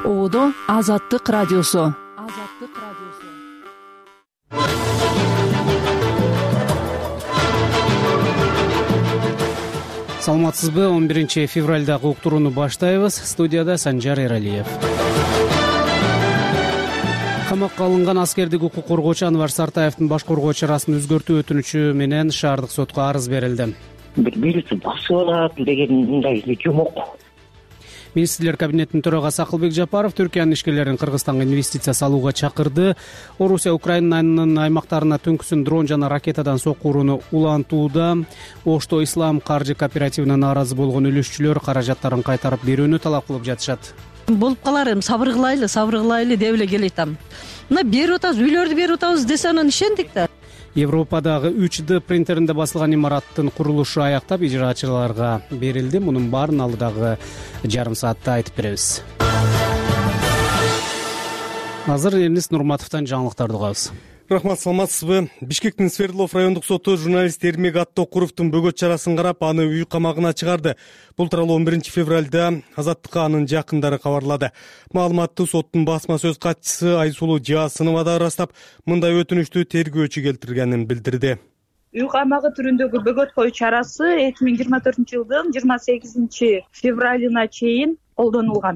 Ободо Азаттык радиосу. Саламатсызбы? 11 февралдагы уктурууну баштайбыз. Студияда Санжар Эралиев. Камакка алынган аскердик укук коргоочу Анвар Сартаевдин баш коргоо чарасын өзгөртүү өтүнүчү менен шаардык сотко арыз берилди. Бирisi басып алат деген мындай жомок. Министрлер кабинетинин төрагасы Акылбек Жапаров Түркиянын ишкерлерин Кыргызстанга инвестиция салууга чакырды. Орусия Украинанын аймактарына түнкүсүн дрон жана ракетадан сокку урууну улантууда. Ошто Ислам каржы кооперативине нааразы болгон үлүшчүлөр каражаттарын кайтарып берүүнү талап кылып жатышат. Болуп калар эми, сабыр кылайлы деп эле келатам. Мына берип атабыз, үйлөрдү берип атабыз десе анан ишендик да. Европадагы 3D принтеринде басылган имараттын курулушу аяктап ижраачыларга берилди. Мунун баарын алыдагы жарым саатта айтып беребиз. Азыр Элнис Нурматовдон жаңылыктарды угабыз. Рахмат, саламатсызбы? Бишкектин Свердлов райондук соту журналист Эрмек Аттокуровдун бөгөт чарасын карап, аны үй камагына чыгарды. Бул тууралуу 11 февралда Азаттыкка анын жакындары кабарлады. Маалыматты соттун басма сөз катчысы Айсулуу Жаасынова да ырастап, мындай өтүнүштү тергөөчү келтиргенин билдирди. Үй камагы түрүндөгү бөгөт коюу чарасы 2024-жылдын 28 февралына чейин колдонулган.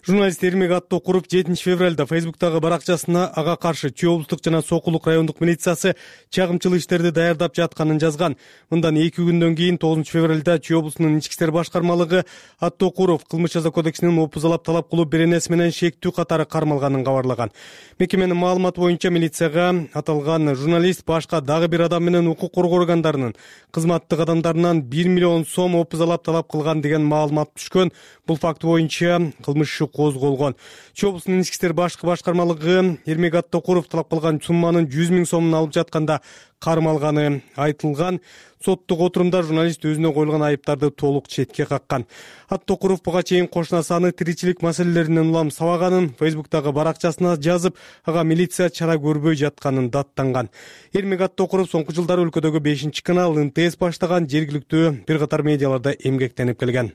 Журналист Эрмек Аттокуров 7 февралда Фейсбуктагы баракчасына ага каршы Чүй облустук жана Сокулук райондук милициясы чагымчыл иштерди даярдап жатканын жазган. Мындан 2 күндөн кийин 9 февралда Чүй облусунун ички иштер башкармалыгы Аттокуров кылмыш жаза кодексинин опузалап талап кылуу беренеси менен шектүү катары кармалганын кабарлаган. Мекеменин маалыматы боюнча милицияга аталган журналист башка дагы бир адам менен укук коргоо органдарынын кызматтык адамдарынан 1 миллион сом опузалап талап кылган деген маалымат түшкөн. Бул факт боюнча кылмыш иши козголгон. Чүй облусунун ички иштер башкармалыгы Эрмек Аттокуров талап кылган сумманын 100 000 сомун алып жатканда кармалганы айтылган. Соттук отурумда журналист өзүнө коюлган айыптарды толук четке каккан. Аттокуров буга чейин кошунасаны тиричилик маселелеринен улам сабаганын Фейсбуктагы баракчасына жазып, ага милиция чара көрбөй жатканын даттанган. Эрмек Аттокуров соңку жылдары өлкөдөгү 5-канал НТС баштаган жергиликтүү бир катар медиаларда эмгектенип келген.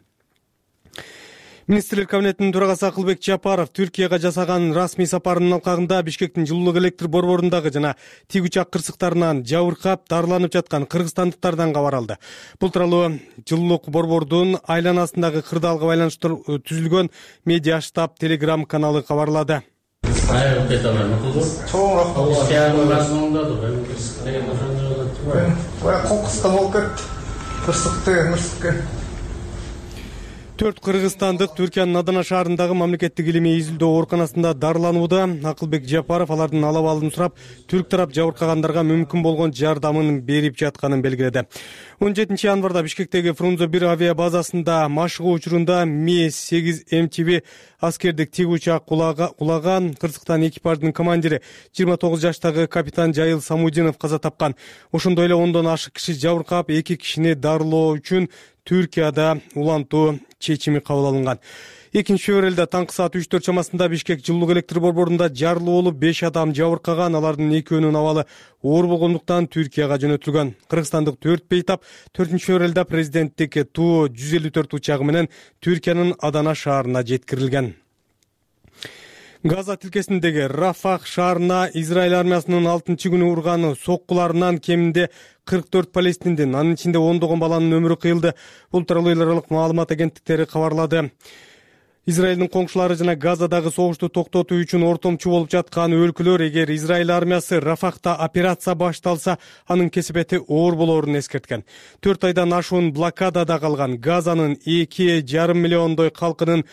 Министрлер кабинетинин төрагасы Акылбек Жапаров Түркияга жасаган расмий сапарынын алкагында Бишкектин жылуулук электр борборундагы жана тик учак кырсыктарынан жабыркап, дарыланып жаткан кыргызстандыктардан кабар алды. Бул тууралуу жылуулук борбордун айланасындагы кырдаалга байланыштуу түзүлгөн медиа штаб Telegram каналы кабарлады. Төрт кыргызстандык Түркиянын Адана шаарындагы мамлекеттик илимий изилдөө ооруканасында дарыланууда. Акылбек Жапаров алардын алабалын сурап, түрк тарап жабыркагандарга мүмкүн болгон жардамын берип жатканын белгиледи. 17 январда Бишкектеги Фрунзе 1 авиа базасында машыгуу учурунда Ми-8 МТБ аскердик тик учак кулаган. Кырсыктан экипаждын командири 29 жаштагы капитан Жайыл Самудинов каза тапкан. Ошондой эле 10дон ашык киши жабыркап, 2 кишини дарылоо үчүн Түркияда улантуу чечими кабыл алынган. 2 февралда таңкы саат 3-4 чамасында Бишкек жылуулук электр борборунда жарылуу болуп 5 адам жабыркаган. Алардын 2өөнүн абалы оор болгондуктан Түркияга жөнөтүлгөн. Кыргызстандык 4 бейтап 4 февралда президенттик Ту-154 учагы менен Түркиянын Адана шаарына жеткирилген. Газа тилкесиндеги Рафах шаарына Израиль армиясынын 6-күнү урган соккуларынан кеминде 44 палестиндин, анын ичинде 10 баланын өмүрү кыйылды. Бул тууралуу эл аралык маалымат агенттиктери кабарлады. Израилдин коңшулары жана Газадагы согушту токтотуу үчүн ортомчу болуп жаткан өлкөлөр эгер Израиль армиясы Рафахта операция башталса, анын кесепети оор болоорун эскерткен. 4 айдан ашуун блокадада калган Газанын 2,5 миллиондой калкынын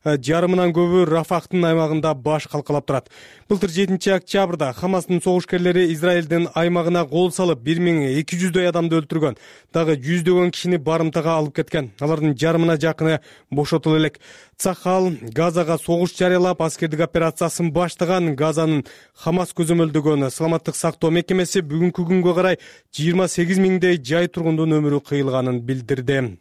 жарымынан көбү Рафахтын аймагында баш калкалап турат. Былтыр 7 октябрда Хамастын согушкерлери Израилдин аймагына кол салып 1200 адамды өлтүргөн. Дагы 100 кишини барымтага алып кеткен. Алардын жарымына жакыны бошотулуп элек. Цахал Газага согуш жарыялап, аскердик операциясын баштаган. Газанын Хамас көзөмөлдөгөн саламаттык сактоо мекемеси бүгүнкү күнгө карай 28 000 жай тургундун өмүрү кыйылганын билдирди.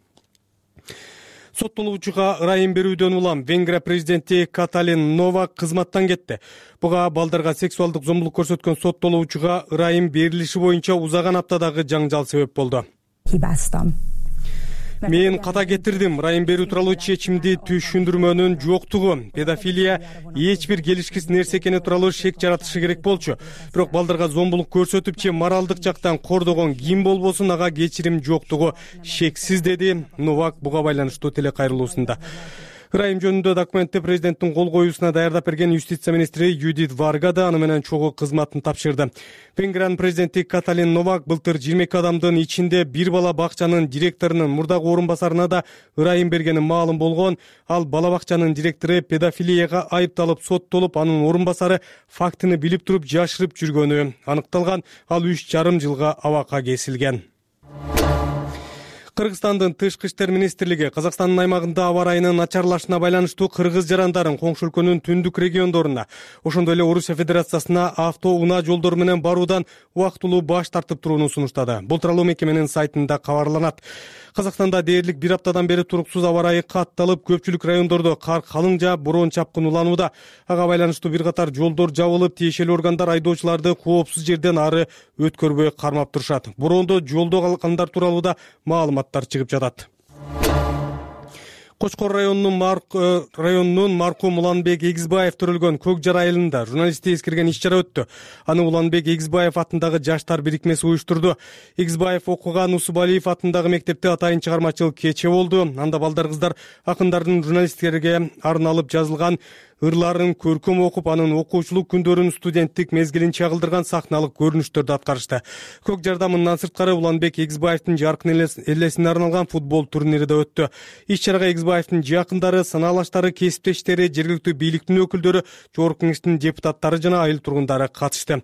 Соттолуучуга ырайым берүүдөн улам Венгрия президенти Каталин Новак кызматтан кетти. Буга балдарга сексуалдык зомбулук көрсөткөн соттолуучуга ырайым берилиши боюнча узаган аптадагы жаңжал себеп болду. Мен ката кетирдим. Ырайым берүү тууралуу чечимди түшүндүрмөнүн жоктугу, педофилия эч бир келишкис нерсе экени тууралуу шек жаратышы керек болчу. Бирок балдарга зомбулук көрсөтүп же моралдык жактан кордогон ким болбосун ага кечирим жоктугу шексиз, деди Новак буга байланыштуу телекайрылуусунда. Ырайым жөнүндө документти президенттин кол коюусуна даярдап берген юстиция министри Юдит Варга да аны менен чогуу кызматын тапшырды. Венгриянын президенти Каталин Новак былтыр 22 адамдын ичинде бир бала бакчанын директорунун мурдагы орун басарына да ырайым бергени маалым болгон. Ал бала бакчанын директору педофилияга айыпталып соттолуп, анын орун басары фактыны билип туруп жашырып жүргөнү аныкталган. Ал 3,5 жылга абакка кесилген. Кыргызстандын тышкы иштер министрлиги Казакстандын аймагында аба ырайынын начарлашына байланыштуу кыргыз жарандарын коңшу өлкөнүн түндүк региондоруна, ошондой эле Орусия Федерациясына автоунаа жолдору менен баруудан убактылуу баш тартып турууну сунуштады. Бул тууралуу мекеменин сайтында кабарланат. Казакстанда дээрлик бир аптадан бери туруксуз аба ырайы катталып, көпчүлүк райондордо кар калың жаап, бороон чапкын уланууда. Ага байланыштуу бир катар жолдор жабылып, тиешелүү органдар айдоочуларды коопсуз жерден ары өткөрбөй кармап турушат. Бороондо жолдо калгандар тууралуу да маалыматтар чыгып жатат. Кочкор районунун маркум Уланбек Эгизбаев төрөлгөн Көк Жар айылында журналистти эскерген иш-чара өттү. Аны Уланбек Эгизбаев атындагы жаштар бирикмеси уюштурду. Эгизбаев окуган Усубалиев атындагы мектепте атайын чыгармачыл кече болду. Анда балдар кыздар акындардын журналисттерге арналып жазылган ырларын көркөм окуп, анын окуучулук күндөрүн студенттик мезгилин чагылдырган сахналык көрүнүштөрдү аткарышты. Көк Жарда мындан сырткары Уланбек Эгизбаевдин жаркын элесине арналган футбол турнири да өттү. Иш-чарага Эгизбаевдин жакындары, санаалаштары, кесиптештери, жергиликтүү бийликтин өкүлдөрү, жогорку кеңештин депутаттары жана айыл тургундары катышты.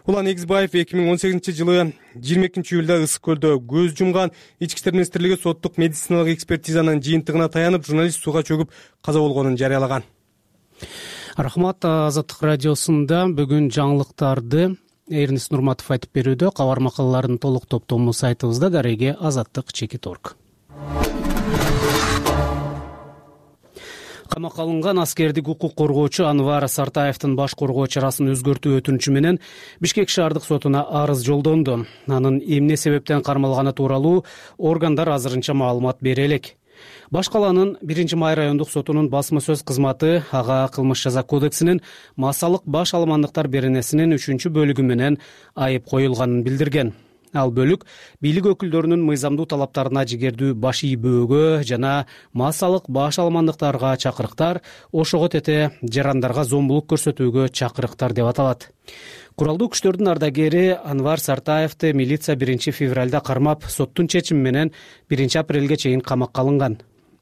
Улан Эгизбаев 2018-жылы 22-июлда Ысык көлдө көз жумган. Ички иштер министрлиги соттук медициналык экспертизанын жыйынтыгына таянып, журналист сууга чөгүп каза болгонун жарыялаган. Рахмат. Азаттык радиосунда бүгүн жаңылыктарды Эрнис Нурматов айтып берүүдө. Кабар макалалардын толук топтому сайтыбызда, дареги azаттык.org. Камакка алынган аскердик укук коргоочу Анвар Сартаевдин баш коргоо чарасын өзгөртүү өтүнүчү менен Бишкек шаардык сотуна арыз жолдонду. Анын эмне себептен кармалганы тууралуу органдар азырынча маалымат бере элек. Баш калаанын 1-Май райондук сотунун басма сөз кызматы ага кылмыш жаза кодексинин массалык баш аламандыктар беренесинин 3-бөлүгү менен айып коюлганын билдирген. Ал бөлүк бийлик өкүлдөрүнүн мыйзамдуу талаптарына жигердүү баш ийбөөгө жана массалык баш аламандыктарга чакырыктар, ошого тете жарандарга зомбулук көрсөтүүгө чакырыктар деп аталат. Куралдуу күчтөрдүн ардагери Анвар Сартаевди милиция 1-февралда кармап, соттун чечими менен 1-апрелге чейин камакка алынган.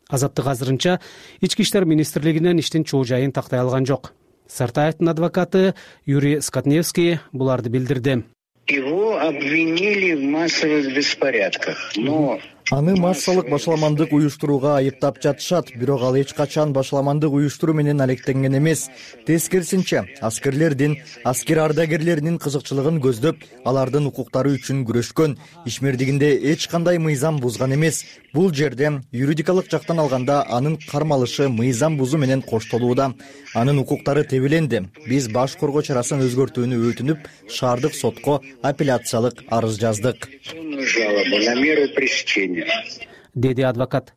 Азаттык азырынча Ички иштер министрлигинен иштин чоо жайын тактай алган жок. Сартаевдин адвокаты Юрий Скотневский буларды билдирди. Его обвинили в массовых беспорядках, но аны массалык башаламандык уюштурууга айыптап жатышат, бирок ал эч качан башаламандык уюштуруу менен алектенген эмес. Тескерисинче, аскерлердин, аскер ардагерлеринин кызыкчылыгын көздөп, алардын укуктары үчүн күрөшкөн, ишмердигинде эч кандай мыйзам бузган эмес. Бул жерде юридикалык жактан алганда анын кармалышы мыйзам бузуу менен коштолууда. Анын укуктары тебеленди. Биз баш коргоо чарасын өзгөртүүнү өтүнүп, шаардык сотко апелляциялык арыз жаздык, деди адвокат.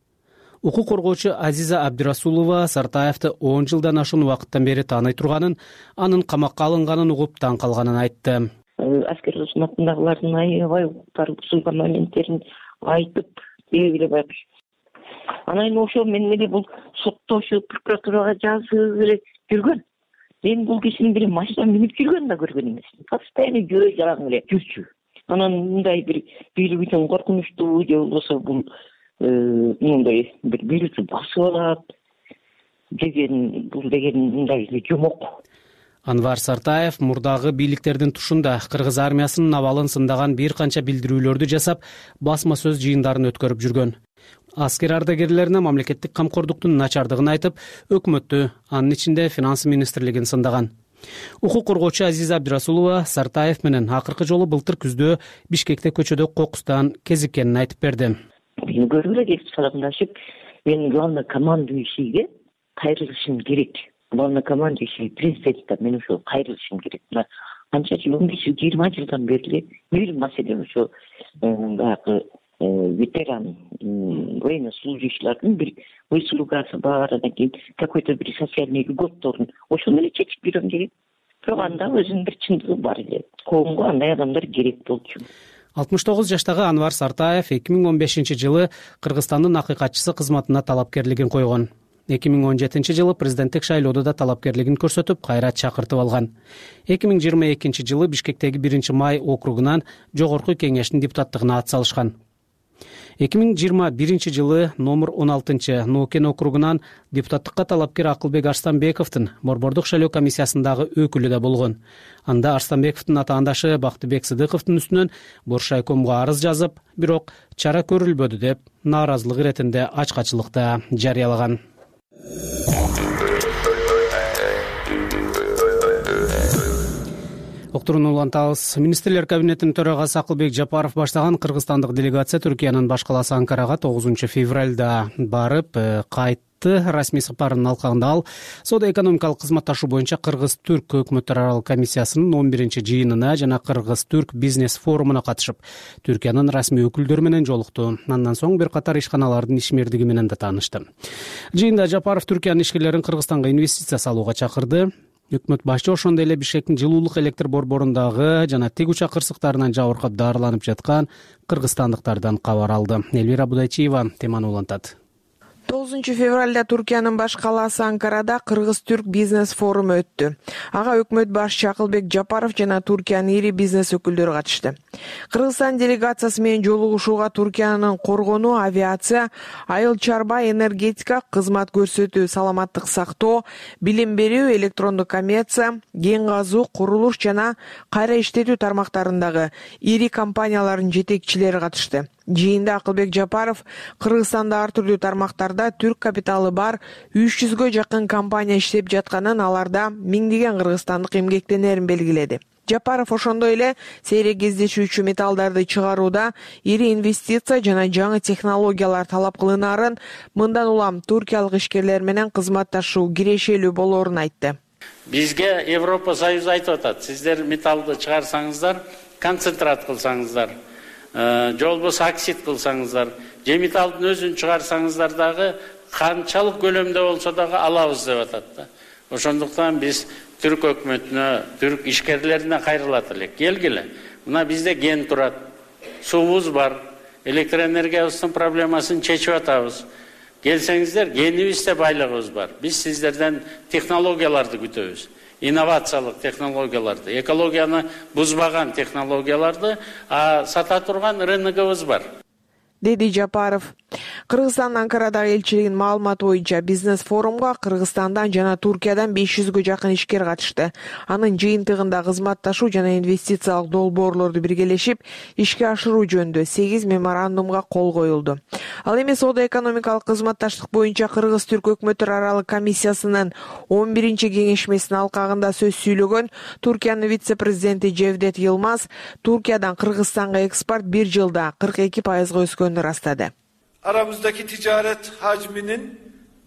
Укук коргоочу Азиза Абдирасулова Сартаевди 10 жылдан ашуун убакыттан бери тааный турганын, анын камакка алынганын угуп таң калганын айтты. Аскер кызматындагылардын аябай укуктары бузулган моменттерин айтып белгилеп байкуш. Анан ошол менен эле бул соттошуп прокуратурага жазып эле жүргөн. Мен бул кишини бир машина минип жүргөнүн да көргөн эмесмин. Постоянно жөө жалаң эле жүрчү. Анан мындай бир бийлик үчүн коркунучтуу же болбосо бул мындай бир бийликти басып алат деген мындай жомок. Анвар Сартаев мурдагы бийликтердин тушунда кыргыз армиясынын абалын сындаган бир канча билдирүүлөрдү жасап, басма сөз жыйындарын өткөрүп жүргөн. Аскер ардагерлерине мамлекеттик камкордуктун начардыгын айтып, өкмөттү, анын ичинде финанс министрлигин сындаган. Укук коргоочу Азиза Абдирасулова Сартаев менен акыркы жолу былтыр күздө Бишкекте көчөдө кокустан кезиккенин айтып берди. Мен көрүп эле кетип саламдашып, мен главнокомандующийге кайрылышым керек. Главнокомандующий президентке мен ошо кайрылышым керек. Канча жыл, 15-20 жылдан бери бир маселе ошо баягы ветеран военнослужащийлердин бир выслугасы бар, анан кийин какой-то бир социальный льготторун ошону эле чечип берем деген. Бирок анда өзүнүн бир чындыгы бар эле. Коомго андай адамдар керек болчу. 69 жаштагы Анвар Сартаев 2015 жылы Кыргызстандын акыйкатчысы кызматына талапкерлигин койгон. 2017 жылы президенттик шайлоодо да талапкерлигин көрсөтүп, кайра чакыртып алган. 2022 жылы Бишкектеги 1-Май округунан жогорку кеңештин депутаттыгына ат салышкан. 2021 жылы номер 16 Ноокен округунан депутаттыкка талапкер Акылбек Арстанбековдун борбордук шайлоо комиссиясындагы өкүлү да болгон. Анда Арстанбековдун атаандашы Бактыбек Сыдыковдун үстүнөн Боршайкомго арыз жазып, бирок чара көрүлбөдү деп нааразылык иретинде ачкачылыкта жарыялаган. Октурууну улантабыз. Министрлер кабинетинин төрагасы Акылбек Жапаров баштаган кыргызстандык делегация Түркиянын баш калаасы Анкарага 9 февралда барып кайтты. Расмий сапарынын алкагында ал соода-экономикалык кызматташуу боюнча Кыргыз-Түрк өкмөттөр аралык комиссиясынын 11-жыйынына жана Кыргыз-Түрк бизнес форумуна катышып, Түркиянын расмий өкүлдөрү менен жолукту. Андан соң бир катар ишканалардын ишмердиги менен да таанышты. Жыйында Жапаров Түркиянын ишкерлерин Кыргызстанга инвестиция салууга чакырды. Өкмөт башчы ошондой эле Бишкектин жылуулук электр борборундагы жана тиг учак кырсыктарынан жабыркап дарыланып жаткан кыргызстандыктардан кабар алды. Элвира Будайчиева теманы улантат. 9 февралда Түркиянын баш калаасы Анкарада Кыргыз-Түрк бизнес форуму өттү. Ага өкмөт башчы Акылбек Жапаров жана Түркиянын ири бизнес өкүлдөрү катышты. Кыргызстан делегациясы менен жолугушууга Түркиянын коргонуу, авиация, айыл чарба, энергетика, кызмат көрсөтүү, саламаттык сактоо, билим берүү, электрондук коммерция, кен казуу, курулуш жана кайра иштетүү тармактарындагы ири компаниялардын жетекчилери катышты. Жыйында Акылбек Жапаров Кыргызстанда ар түрдүү тармактарда түрк капиталы бар 300гө жакын компания иштеп жатканын, аларда миңдеген кыргызстандык эмгектенерин белгиледи. Жапаров ошондой эле сейрек кездешүүчү металлдарды чыгарууда ири инвестиция жана жаңы технологиялар талап кылынаарын, мындан улам туркиялык ишкерлер менен кызматташуу кирешелүү болоорун айтты. Бизге Европа Союзу айтып атат, сиздер металлды чыгарсаңыздар, концентрат кылсаңыздар, же болбосо оксид кылсаңыздар, же металлдын өзүн чыгарсаңыздар дагы канчалык көлөмдө болсо дагы алабыз деп атат да. Ошондуктан биз түрк өкмөтүнө, түрк ишкерлерине кайрылат элек. Келгиле. Мына бизде ген турат, суубуз бар, электроэнергиябыздын проблемасын чечип атабыз. Келсеңиздер, генибизде байлыгыбыз бар. Биз сиздерден технологияларды күтөбүз. Инновациялык технологияларды, экологияны бузбаган технологияларды сата турган рыногубуз бар, деди Жапаров. Кыргызстандын Анкарадагы элчилигинин маалыматы боюнча бизнес форумга Кыргызстандан жана Туркиядан 500гө жакын ишкер катышты. Анын жыйынтыгында кызматташуу жана инвестициялык долбоорлорду биргелешип ишке ашыруу жөнүндө 8 меморандумга кол коюлду. Ал эми соода-экономикалык кызматташтык боюнча Кыргыз-Түрк өкмөттөр аралык комиссиясынын 11-кеңешмесинин алкагында сөз сүйлөгөн Туркиянын вице-президенти Жевдет Йылмаз Туркиядан Кыргызстанга экспорт бир жылда 42% өскөнүн ырастады. Aramızdaki ticaret hacminin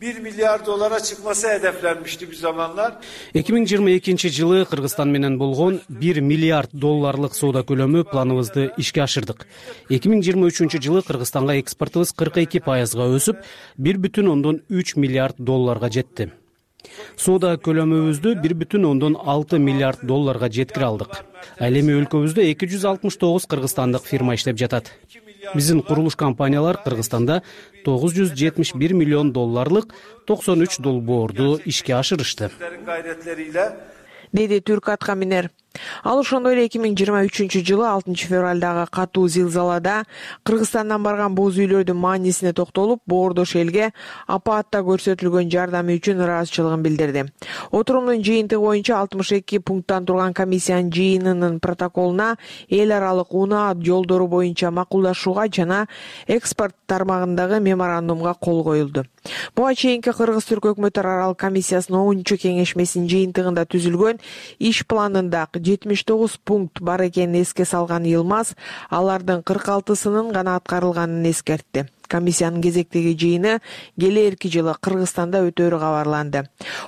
1 milyar dolara çıkması hedeflenmişti bir zamanlar. 2022 жылы Кыргызстан менен болгон 1 миллиард долларлык соода көлөмү планыбызды ишке ашырдык. 2023 жылы Кыргызстанга экспортубуз 42% өсүп, 1,3 миллиард долларга жетти. Соода көлөмүбүздү 1,6 миллиард долларга жеткире алдык. Ал эми өлкөбүздө 269 кыргызстандык фирма иштеп жатат. Биздин курулуш компаниялар Кыргызстанда 971 миллион долларлык 93 долбоорду ишке ашырышты, деди түрк аткаминер. Ал ошондой эле 2023 жылы 6 февралдагы катуу зилзалада Кыргызстандан барган боз үйлөрдүн маанисине токтолуп, боордош элге апаатта көрсөтүлгөн жардамы үчүн ыраазычылыгын билдирди. Отурумдун жыйынтыгы боюнча 62 пункттан турган комиссиянын жыйынынын протоколуна эл аралык унаа жолдору боюнча макулдашууга жана экспорт тармагындагы меморандумга кол коюлду. Буга чейинки Кыргыз-Түрк өкмөттөр аралык комиссиясынын 10-кеңешмесинин жыйынтыгында түзүлгөн иш планында 79 пункт бар экенин эске салган Йылмаз алардын 46-сынын гана аткарылганын эскертти. Комиссиянын кезектеги жыйыны келээрки жылы Кыргызстанда өтөөрү кабарланды.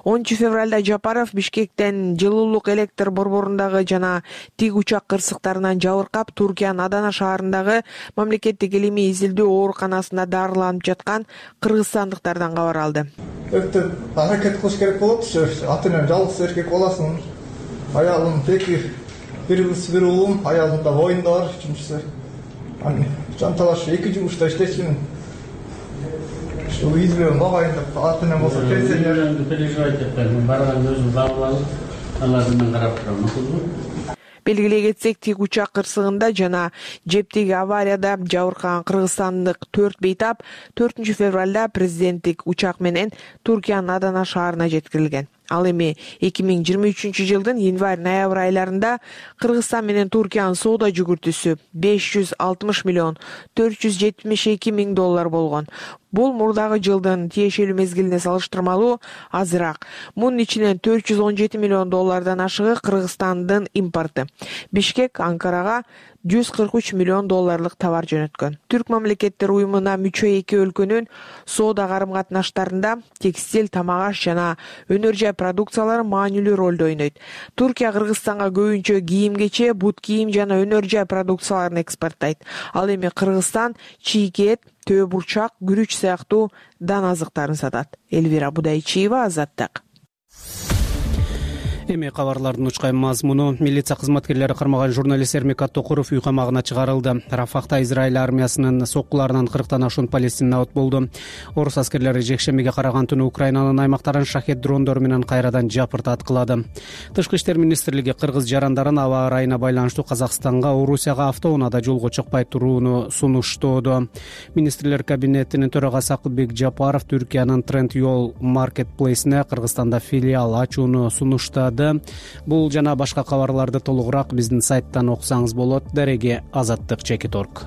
10 февралда Жапаров Бишкектен жылуулук электр борборундагы жана тик учак кырсыктарынан жабыркап, Туркиянын Адана шаарындагы мамлекеттик илимий изилдөө ооруканасында дарыланып жаткан кыргызстандыктардан кабар алды. Өтө аракет кылыш керек болот. Атынан жалгыз эркек баласын, аялым пеки бир кыз бир уулум, аялымда боюнда бар, үчүнчүсү. Жанталаш 2 жумушта иштечүмүн. Ушул изилөөнү багайын деп атынан болсо пенсионер. Переживать этпеңиз, барган өзүм кабыл алып, алардын карап турам. Белгилей кетсек, тик учак кырсыгында жана жептеги аварияда жабыркаган кыргызстандык 4 бейтап 4 февралда президенттик учак менен Туркиянын Адана шаарына жеткирилген. Ал эми 2023 жылдын январь-ноябрь айларында Кыргызстан менен Туркиянын соода жүгүртүүсү 560 миллион 472 миң доллар болгон. Бул мурдагы жылдын тиешелүү мезгилине салыштырмалуу азыраак. Мунун ичинен 417 миллион доллардан ашыгы Кыргызстандын импорты. Бишкек Анкарага 143 миллион долларлык товар жөнөткөн. Түрк мамлекеттер уюмуна мүчө эки өлкөнүн соода карым-катнаштарында текстиль, тамак аш жана өнөр жай продукциялары маанилүү ролду ойнойт. Туркия Кыргызстанга көбүнчө кийим-кече, бут кийим жана өнөр жай продукцияларын экспорттойт. Ал эми Кыргызстан чийкет, төө бурчак, күрүч сыяктуу дан азыктарын сатат. Элвира Будайчиева, Азаттык. Эми кабарлардын учкай мазмуну: милиция кызматкерлери кармаган журналист Эрмек Аттокуров үй камагына чыгарылды. Рафахта Израиль армиясынын соккуларынан 40тан ашуун палестин абат болду. Орус аскерлери жекшембиге караган түнү Украинанын аймактарын шахет дрондору менен кайрадан жапырт аткылады. Тышкы иштер министрлиги кыргыз жарандарын аба ырайына байланыштуу Казакстанга, Орусияга автоунаада жолго чыкпай турууну сунуштоодо. Министрлер кабинетинин төрагасы Акылбек Жапаров Түркиянын Тренд Yol Marketplace'не Кыргызстанда филиал ачууну сунуштады. Бул жана башка кабарларды толугураак биздин сайттан окусаңыз болот. Дареги Азаттык.org.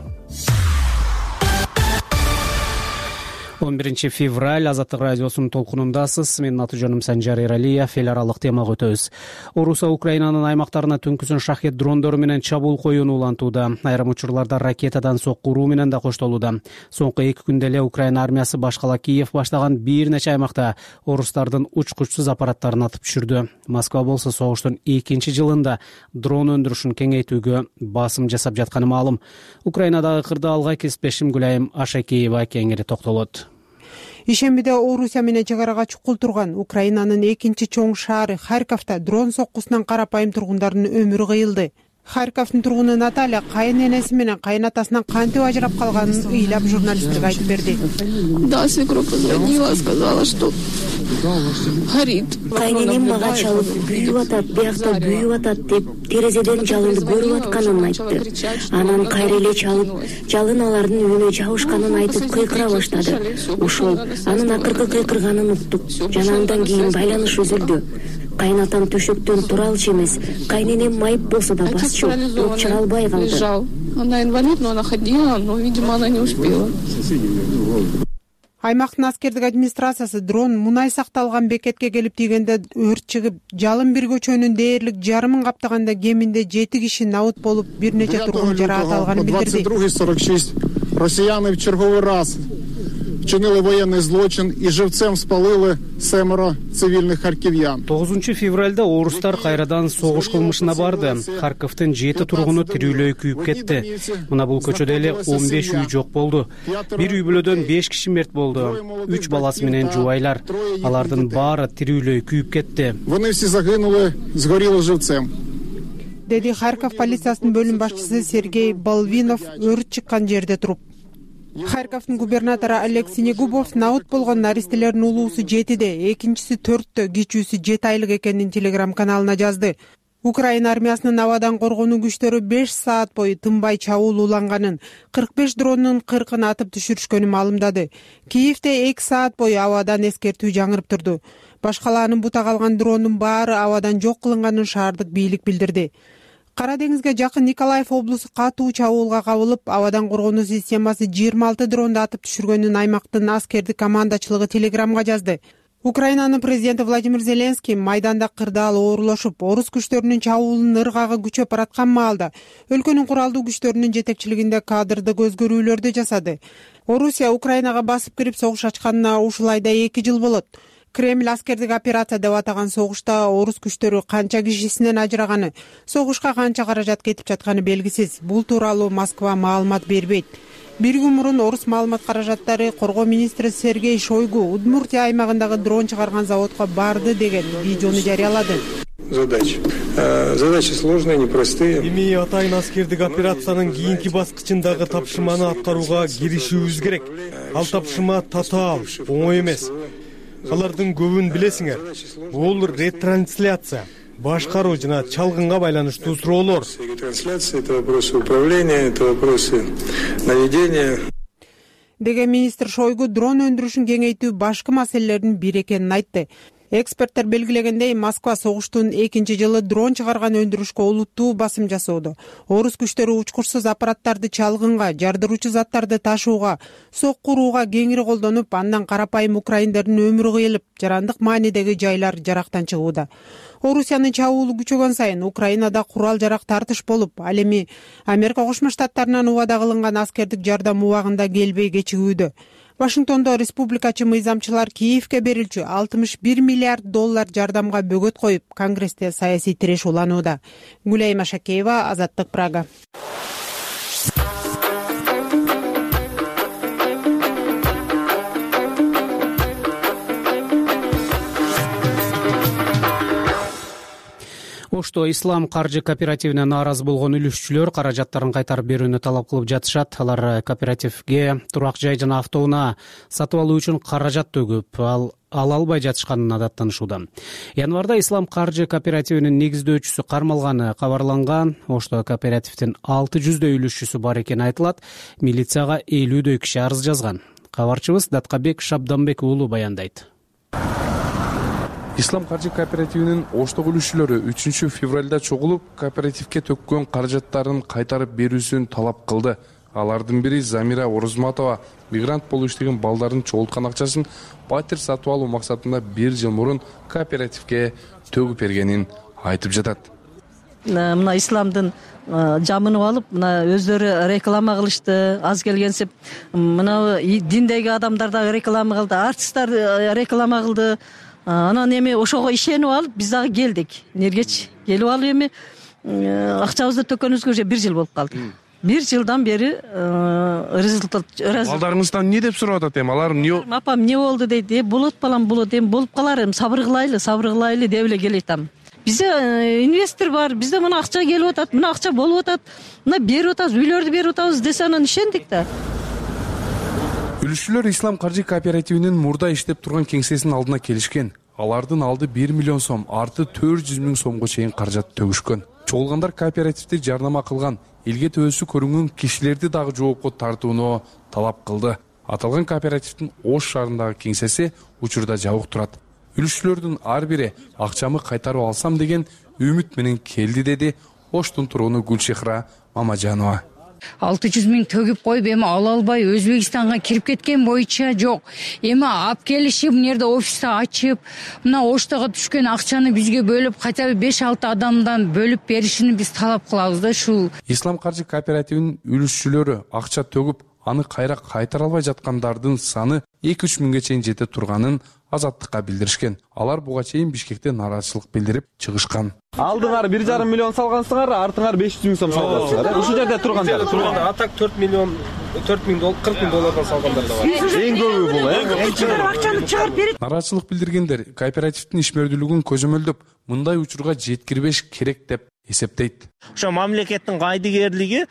11 февраль Азаттык радиосунун толкунундасыз. Менин аты жөнүм Санжар Эралиев. Эл аралык темага өтөбүз. Орусия Украинанын аймактарына түнкүсүн шахет дрондору менен чабуул коюуну улантууда. Айрым учурларда ракетадан сокку уруу менен да коштолууда. Соңку 2 күндө эле Украина армиясы башкала Киев баштаган бир нече аймакта орустардын учкучсуз аппараттарын атып түшүрдү. Москва болсо согуштун 2 жылында дрон өндүрүшүн кеңейтүүгө басым жасап жатканы маалым. Украинадагы кырды алгай кеспешим Гүлайым Ашакеева кеңири токтолот. Ишембиде Орусия менен чек арага чукул турган Украинанын экинчи чоң шаары Харьковто дрон соккусунан карапайым тургундардын өмүрү кыйылды. Харьковдун тургуну Наталья кайын-энеси менен кайынатасынан кантип ажырап калганын ыйлап журналисттерге айтып берди. Да, свекровь позвонила, сказала, что горит. Кайненем мага чалып күйүп атат, биякта күйүп атат деп терезеден жалынды көрүп атканын айтты. Анан кайра эле чалып, жалын алардын үйүнө жабышканын айтып кыйкыра баштады. Ошол анын акыркы кыйкырганын уктук. Жана андан кийин байланыш үзүлдү. Кайнатам төшөктөн тура алчу эмес. Кайненем майып болсо да басчу, туруп чыга албай калды. Она инвалид, но она ходила, но, видимо, она не успела. Аймактын аскердик администрациясы дрон мунай сакталган бекетке келип тийгенде өрт чыгып, жалын бир көчөнүн дээрлик жарымын каптаганда кеминде 7 киши набыт болуп, бир нече тургун жаракат алганын билдирди. 22:46 россияне в черговый раз вчинили военный злочин и живцем спалили 7 цивильных харьковян. 9 февралда орустар кайрадан согуш кылмышына барды. Харьковдун 7 тургуну тирүүлөй күйүп кетти. Мына бул көчөдө эле 15 үй жок болду. Бир үй бүлөдөн 5 киши мерт болду. 3 баласы менен жубайлар. Алардын баары тирүүлөй күйүп кетти. Вони все загинули, сгорели живцем. Деди Харьков полициясынын бөлүм башчысы Сергей Балвинов өрт чыккан жерде туруп. Харьковдун губернатору Олег Синегубов набыт болгон наристелердин улуусу 7-де, экинчиси 4-тө, кичүүсү 7 айлык экенин телеграм-каналына жазды. Украина армиясынын абадан коргонуу күчтөрү 5 саат бою тынбай чабуул уланганын, 45 дронун 40-ын атып түшүрүшкөнүн маалымдады. Киевде 2 саат бою абадан эскертүү жаңырып турду. Башкалаанын бута калган дрондун баары абадан жок кылынганын шаардык бийлик билдирди. Кара деңизге жакын Николаев облусу катуу чабуулга кабылып, абадан коргонуу системасы 26 дронду атып түшүргөнүн аймактын аскердик командачылыгы телеграмга жазды. Украинанын президенти Владимир Зеленский майданда кырдаал оорулашып, орус күчтөрүнүн чабуулунун ыргагы күчөп бараткан маалда өлкөнүн куралдуу күчтөрүнүн жетекчилигинде кадрдык өзгөрүүлөрдү жасады. Орусия Украинага басып кирип согуш ачканына ушул айда 2 жыл болот. Кремль аскердик операция деп атаган согушта орус күчтөрү канча кишисинен ажыраганы, согушка канча каражат кетип жатканы белгисиз. Бул тууралуу Москва маалымат бербейт. Bir gün мурун орус маалымат каражаттары коргоо министри Сергей Шойгу Удмуртия аймагындагы дрон чыгарган заводко барды деген видеону жарыялады. Задачи сложные, непростые. Эми атайын аскердик операциянын кийинки баскычындагы тапшырманы аткарууга киришүүбүз керек. Ал тапшырма татаал, оңой эмес. Алардын көбүн билесиңер. Бул ретрансляция, башкаруу жана чалгынга байланыштуу суроолор. Трансляция — это вопросы управления, это вопросы наведения. Деген министр Шойгу дрон өндүрүшүн кеңейтүү башкы маселелердин бири экенин айтты. Эксперттер белгилегендей, Москва согуштун 2 жылы дрон чыгарган өндүрүшкө олуттуу басым жасоодо. Орус күчтөрү учкурсуз аппараттарды чалгынга, жардыруучу заттарды ташууга, сокку урууга кеңири колдонуп, андан карапайым украиндердин өмүрү кыйылып, жарандык маанидеги жайлар жарактан чыгууда. Орусиянын чабуулу күчөгөн сайын Украинада курал жарак тартыш болуп, ал эми Америка Кошмо Штаттарынан убада кылынган аскердик жардам убагында келбей кечигүүдө. Вашингтондо республикачы мыйзамчылар Киевке берилчү $61 миллиард жардамга бөгөт коюп, Конгрессте саясий тиреш уланууда. Гүлай Машакеева, Азаттык, Прага. Ошто Ислам каржы кооперативине нааразы болгон үлүшчүлөр каражаттарын кайтарып берүүнү талап кылып жатышат. Алар кооперативге турак жай жана автоунаа сатып алуу үчүн каражат төгүп, ала албай жатышканына даттанышууда. Январда Ислам каржы кооперативинин негиздөөчүсү кармалганы кабарланган. Ошто кооперативдин 600 үлүшчүсү бар экени айтылат. Милицияга 50 киши арыз жазган. Кабарчыбыз Даткабек Шабданбек уулу баяндайт. Ислам каржы кооперативинин Оштогу үлүшчүлөрү 3 февралда чогулуп, кооперативге төккөн каражаттарын кайтарып берүүсүн талап кылды. Алардын бири Замира Орозматова мигрант болуп иштеген балдарын чогулткан акчасын батир сатып алуу максатында 1 жыл мурун кооперативге төгүп бергенин айтып жатат. Мына Исламдын жамынып алып, мына өздөрү реклама кылышты, аз келгенсип, мына диндеги адамдар да реклама кылды, артисттер реклама кылды. Анан эми ошого ишенип алып, биз дагы келдик. Нергечи келип алып эми акчабызды төккөнүбүзгө уже 1 жыл болуп калды. 1 жылдан бери результат. Балдарыңыздан эмне деп сурап атат эми? Алар эмне? Апам эмне болду дейт. Болот балам, болот, эми болуп калар, эми сабыр кылайлы деп эле келатам. Бизде инвестор бар, бизде мына акча келип атат, мына акча болуп атат, мына берип атабыз, үйлөрдү берип атабыз десе анан ишендик да. Үлүшчүлөр Ислам каржы кооперативинин мурда иштеп турган кеңсесинин алдына келишкен. Алардын алды 1 миллион сом, арты 400 миң сомго чейин каражат төгүшкөн. Чогулгандар кооперативди жарнама кылган, элге төбөсү көрүнгөн кишилерди дагы жоопко тартууну талап кылды. Аталган кооперативдин Ош шаарындагы кеңсеси учурда жабык турат. Үлүшчүлөрдүн ар бири акчамы кайтарып алсам деген үмүт менен келди, деди Оштун тургуну Гүлшехра Мамажанова. 600 миң төгүп коюп, эми ала албай Өзбекстанга кирип кеткен боюнча жок. Эми алып келишип, мынерде офисти ачып, мына Оштого түшкөн акчаны бизге бөлүп, хотя бы 5-6 адамдан бөлүп беришини биз талап кылабыз да ушул. Ислам каржы кооперативинин үлүшчүлөрү акча төгүп, аны кайра кайтара албай жаткандардын саны 2-3 миңге чейин жете турганын Азаттыкка билдиришкен. Алар буга чейин Бишкекте нааразычылык билдирип чыгышкан. Алдыңар 1,5 миллион салгансыңар, артыңар 500 миң сом салгансыңар. Ушул жерде тургандар. Атак 40 миң доллардан салгандар да бар. Эң көбү бул, эң чыгып акчаны чыгарып берет. Нааразычылык билдиргендер кооперативдин ишмердүүлүгүн көзөмөлдөп, мындай учурга жеткирбеш керек деп эсептейт. Ошо мамлекеттин кайдыгерлиги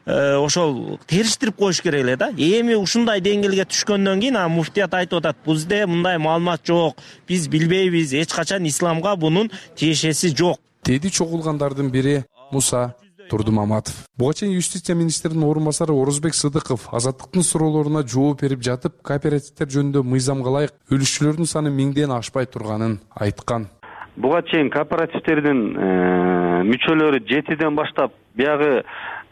ошол териштирип коюш керек эле да. Эми ушундай деңгээлге түшкөндөн кийин муфтият айтып атат, бизде мындай маалымат жок, биз билбейбиз, эч качан исламга бунун тиешеси жок. Деди чогулгандардын бири Муса Турдумаматов. Буга чейин юстиция министринин орун басары Орозбек Сыдыков Азаттыктын суроолоруна жооп берип жатып, кооперативдер жөнүндө мыйзамга ылайык үлүшчүлөрдүн саны 1000ден ашпай турганын айткан. Буга чейин кооперативдердин мүчөлөрү 7ден баштап биягы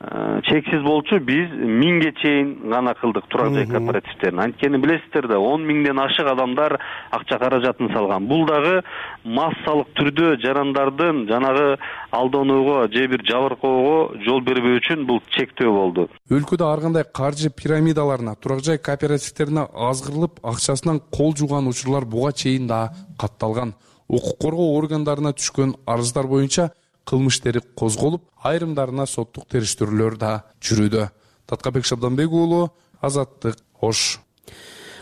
чексиз болчу. Биз 1000ге чейин гана кылдык турак жай кооперативтерин. Анткени билесиздер да 10 000ден ашык адамдар акча каражатын салган. Бул дагы массалык түрдө жарандардын жанагы алданууга же бир жабыркоого жол бербөө үчүн бул чектөө болду. Өлкөдө ар кандай каржы пирамидаларына, турак жай кооперативтерине азгырылып, акчасынан кол жууган учурлар буга чейин да катталган. Укук коргоо органдарына түшкөн арыздар боюнча кылмыш ишери козголуп, айрымдарына соттук териштирүүлөр да жүрүүдө. Таткабек Шабданбек уулу, Азаттык, Ош.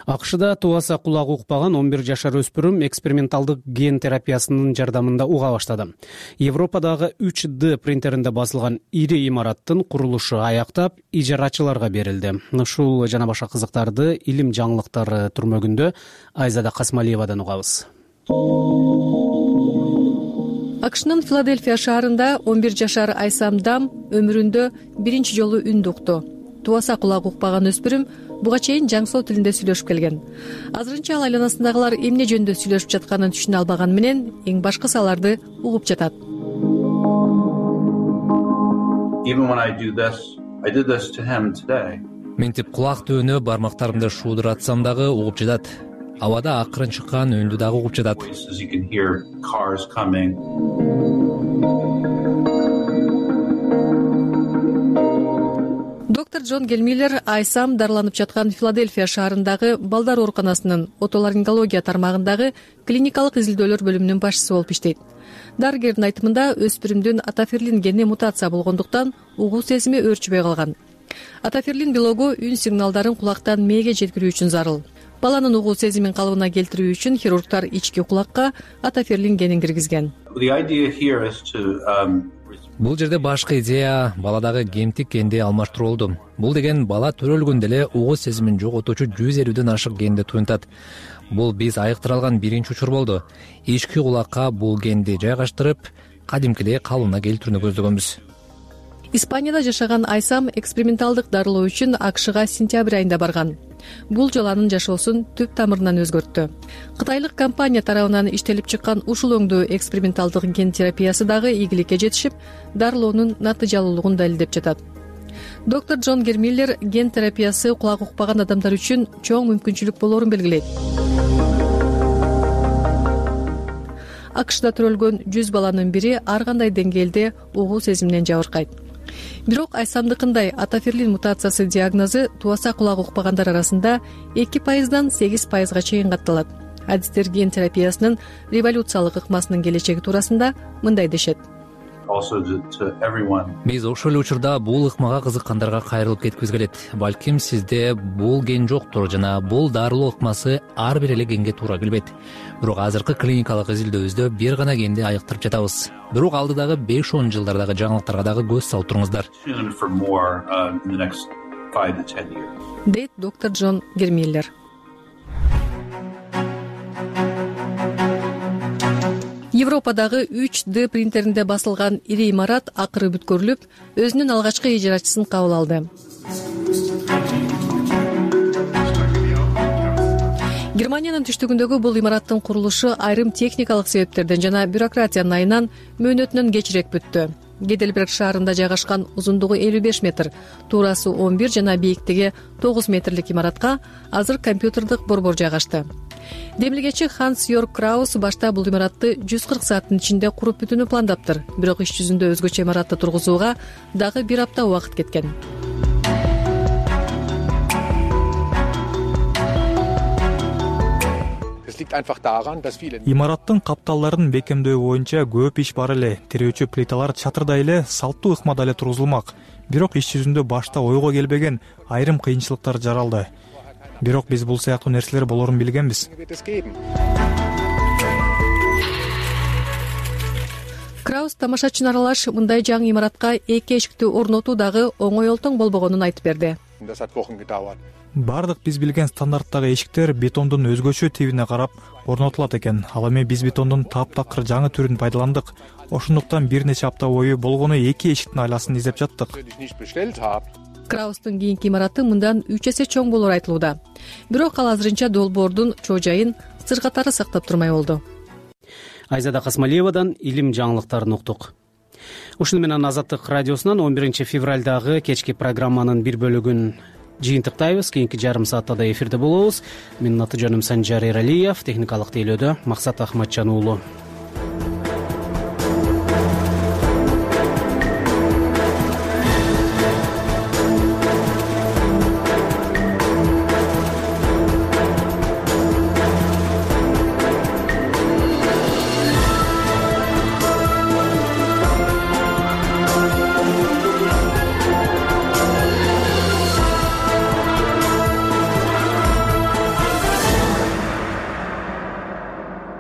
АКШда тубаса кулагы укпаган 11 жашар өспүрүм эксперименталдык ген терапиясынын жардамында уга баштады. Европадагы 3D принтеринде басылган ири имараттын курулушу аяктап, ижарачыларга берилди. Ушул жана башка кызыктарды илим жаңылыктары түрмөгүндө Айзада Касмалиевадан угабыз. АКШнын Филадельфия шаарында 11 жашар Айсам Дам өмүрүндө биринчи жолу үндү укту. Тубаса кулагы укпаган өспүрүм буга чейин жаңсоо тилинде сүйлөшүп келген. Азырынча ал айланасындагылар эмне жөнүндө сүйлөшүп жатканын түшүнө албаган менен эң башкысы аларды угуп жатат. Ментип кулак түбүнө бармактарымды шуудуратсам дагы угуп жатат. Абада акырын чыккан үндү дагы угуп жатат. Доктор Джон Гермиллер Айсам дарыланып жаткан Филадельфия шаарындагы балдар ооруканасынын отоларингология тармагындагы клиникалык изилдөөлөр бөлүмүнүн башчысы болуп иштейт. Дарыгердин айтымында өспүрүмдүн атаферлин гени мутация болгондуктан угуу сезими өөрчүбөй калган. Атаферлин белогу үн сигналдарын кулактан мээге жеткирүү үчүн зарыл. Баланын угуу сезимин калыбына келтирүү үчүн хирургтар ички кулакка атаферлин генин киргизген. Бул жерде башкы идея баладагы гемтик генди алмаштыруу болду. Бул деген бала төрөлгөндө эле угуу сезимин жоготуучу 150ден ашык генди туюнтат. Бул биз айыктыра алган биринчи учур болду. Ички кулакка бул генди жайгаштырып, кадимкидей калыбына келтирүүнү көздөгөнбүз. Испанияда жашаган Айсам эксперименталдык дарылоо үчүн АКШга сентябрь айында барган. Бул жолу анын жашоосун түп тамырынан өзгөрттү. Кытайлык компания тарабынан иштелип чыккан ушул өңдүү эксперименталдык ген терапиясы дагы ийгиликке жетишип, дарылоонун натыйжалуулугун далилдеп жатат. Доктор Джон Гермиллер ген терапиясы кулагы укпаган адамдар үчүн чоң мүмкүнчүлүк болоорун белгилейт. АКШда төрөлгөн 100 баланын бири ар кандай деңгээлде угуу сезиминен жабыркайт. Бирок Айсамдыкындай атаферлин мутациясы диагнозу тубаса кулагы укпагандар арасында 2%дан 8%га чейин катталат. Адистер ген терапиясынын революциялык ыкмасынын келечеги туурасында мындай дешет. Биз ошол эле учурда бул ыкмага кызыккандарга кайрылып кеткибиз келет. Балким сизде бул ген жоктур жана бул дарылоо ыкмасы ар бир эле генге туура келбейт. Бирок азыркы клиникалык изилдөөбүздө бир гана генди айыктырып жатабыз. Бирок алдыдагы 5-10 жылдардагы жаңылыктарга дагы көз салып туруңуздар. Дейт доктор Джон Гермиллер. Европадагы 3D принтеринде басылган ири имарат акыры бүткөрүлүп, өзүнүн алгачкы ижарачысын кабыл алды. Германиянын түштүгүндөгү бул имараттын курулушу айрым техникалык себептерден жана бюрократиянын айынан мөөнөтүнөн кечирээк бүттү. Гейдельберг шаарында жайгашкан узундугу 55 метр, туурасы 11 жана бийиктиги 9 метрлик имаратка азыр компьютердик борбор жайгашты. Демилгечи Ханс Йорк Краус башта бул имаратты 140 сааттын ичинде куруп бүтүүнү пландаптыр. Бирок иш жүзүндө өзгөчө имаратты тургузууга дагы 1 апта убакыт кеткен. Имараттын капталдарын бекемдөө боюнча көп иш бар эле. Тирөөчү плиталар чатырдай эле салттуу ыкмада эле тургузулмак. Бирок иш жүзүндө башта ойго келбеген айрым кыйынчылыктар жаралды. Бирок биз бул сыяктуу нерселер болорун билгенбиз. Краус тамашачыны аралаш мындай жаңы имаратка 2 эшикти орнотуу дагы оңой олтоң болбогонун айтып берди. Бардык биз билген стандарттагы эшиктер бетондун өзгөчө тибине карап орнотулат экен. Ал эми биз бетондун таптакыр жаңы түрүн пайдаландык. Ошондуктан бир нече апта бою болгону 2 эшиктин айласын издеп жаттык. Краустун кийинки имараты мындан 3 эсе чоң болору айтылууда. Бирок ал азырынча долбоордун чоо жайын сыр катары сактап турмай болду. Айзада Касмалиевадан илим жаңылыктарын уктук. ушуну менен Азаттык радиосунан 11 февралдагы кечки программанын бир бөлүгүн жыйынтыктайбыз. Кийинки жарым саатта да эфирде болобуз. Менин аты жөнүм Санжар Эралиев, техникалык тейлөөдө Максат Ахматжан уулу.